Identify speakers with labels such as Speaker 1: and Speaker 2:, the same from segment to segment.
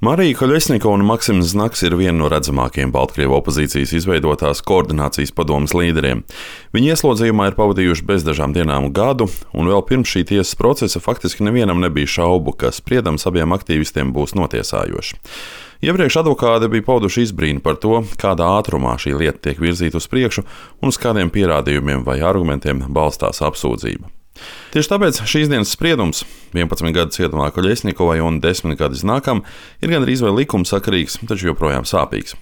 Speaker 1: Marija Koļesnikova un Maksims Znaks ir viena no redzamākajiem Baltkrievu opozīcijas izveidotās koordinācijas padomes līderiem. Viņi ieslodzījumā ir pavadījuši bez dažām dienām gadu, un vēl pirms šī tiesas procesa faktiski nevienam nebija šaubu, ka spriedums abiem aktīvistiem būs notiesājošs. Iepriekš advokāti bija pauduši izbrīnu par to, kādā ātrumā šī lieta tiek virzīta uz priekšu un uz kādiem pierādījumiem vai argumentiem balstās apsūdzība. Tieši tāpēc šīs dienas spriedums 11 gadu cietumā Koļesnikovai un 10 gadu Znakam ir gandrīz vai likumsakarīgs, taču joprojām sāpīgs.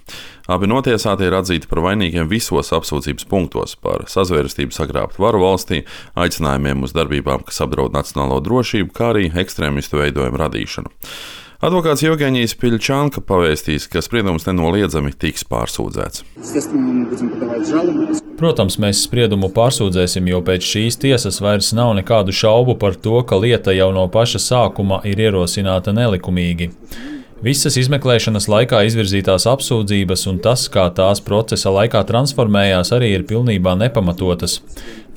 Speaker 1: Abi notiesātie ir atzīti par vainīgiem visos apsūdzības punktos par sazvērestību sagrābt varu valstī, aicinājumiem uz darbībām, kas apdraud nacionālo drošību, kā arī ekstrēmistu veidojumu radīšanu. Advokāts Jevgeņijs Piļčanka pavēstīs, ka spriedums nenoliedzami tiks pārsūdzēts.
Speaker 2: Protams, mēs spriedumu pārsūdzēsim, jo pēc šīs tiesas vairs nav nekādu šaubu par to, ka lieta jau no paša sākuma ir ierosināta nelikumīgi. Visas izmeklēšanas laikā izvirzītās apsūdzības un tas, kā tās procesa laikā transformējās, arī ir pilnībā nepamatotas.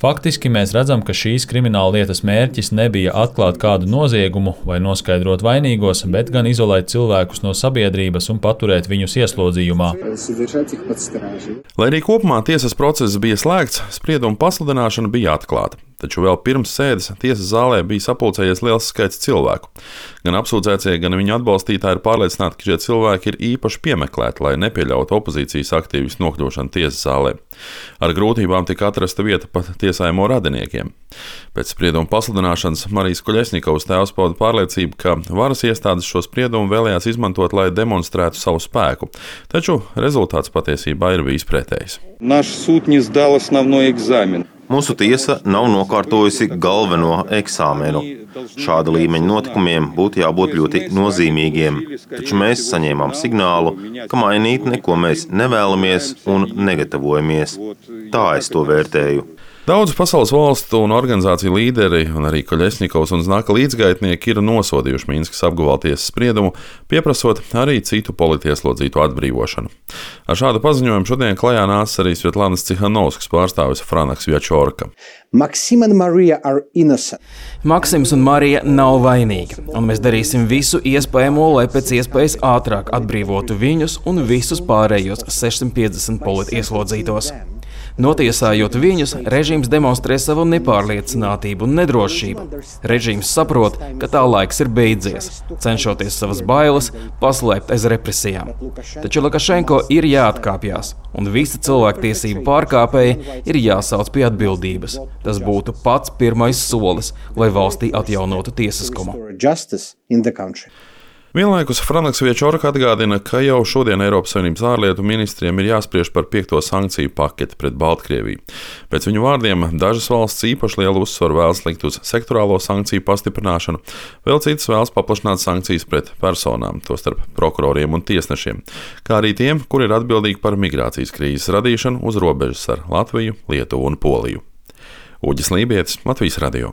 Speaker 2: Faktiski mēs redzam, ka šīs krimināla lietas mērķis nebija atklāt kādu noziegumu vai noskaidrot vainīgos, bet gan izolēt cilvēkus no sabiedrības un paturēt viņus ieslodzījumā.
Speaker 1: Lai arī kopumā tiesas process bija slēgts, sprieduma pasludināšana bija atklāta. Taču vēl pirms sēdes tiesas zālē bija sapulcējies liels skaits cilvēku. Gan apsūdzētie, gan viņu atbalstītāji ir pārliecināti, ka šie cilvēki ir īpaši piemeklēti, lai nepieļautu opozīcijas aktīvistu nokļūšanu tiesas zālē. Ar grūtībām tika atrasta vieta pat tiesājumu radiniekiem. Pēc sprieduma pasludināšanas Marijas Koļesnikovas tēvs pauda pārliecību, ka varas iestādes šo spriedumu vēlējās izmantot, lai demonstrētu savu spēku. Taču rezultāts patiesībā ir bijis pretējs.
Speaker 3: Mūsu tiesa nav nokārtojusi galveno eksāmenu. Šāda līmeņa notikumiem būtu jābūt ļoti nozīmīgiem, taču mēs saņēmām signālu, ka mainīt neko mēs nevēlamies un negatavojamies. Tā es to vērtēju.
Speaker 1: Daudzu pasaules valstu un organizāciju līderi un arī Koļesnikovs un Znaka līdzgaitnieki ir nosodījuši Minskas apgabaltiesas spriedumu, pieprasot arī citu politieslodzīto atbrīvošanu. Ar šādu paziņojumu šodien klajā nāca arī Svetlanas Cihanovskas pārstāvis Franaks Vjačorka.
Speaker 4: Maksims un Marija nav vainīgi, un mēs darīsim visu iespējamo, lai pēc iespējas ātrāk atbrīvotu viņus un visus pārējos 650 politieslodzītos. Notiesājot viņus, režīms demonstrē savu nepārliecinātību un nedrošību. Režīms saprot, ka tā laiks ir beidzies, cenšoties savas bailes paslēpt aiz represijām. Taču Lukašenko ir jāatkāpjas, un visi cilvēktiesību pārkāpēji ir jāsauc pie atbildības. Tas būtu pats pirmais solis, lai valstī atjaunotu tiesiskumu.
Speaker 1: Vienlaikus Franaks Vjačorka atgādina, ka jau šodien Eiropas Savienības ārlietu ministriem ir jāspriež par 5. sankciju paketi pret Baltkrieviju. Pēc viņu vārdiem dažas valsts īpaši lielu uzsvaru vēlas likt uz sektorālo sankciju pastiprināšanu, vēl citas vēlas paplašināt sankcijas pret personām, tostarp prokuroriem un tiesnešiem, kā arī tiem, kuri ir atbildīgi par migrācijas krīzes radīšanu uz robežas ar Latviju, Lietuvu un Poliju. Uģis Lībietis, Latvijas radio.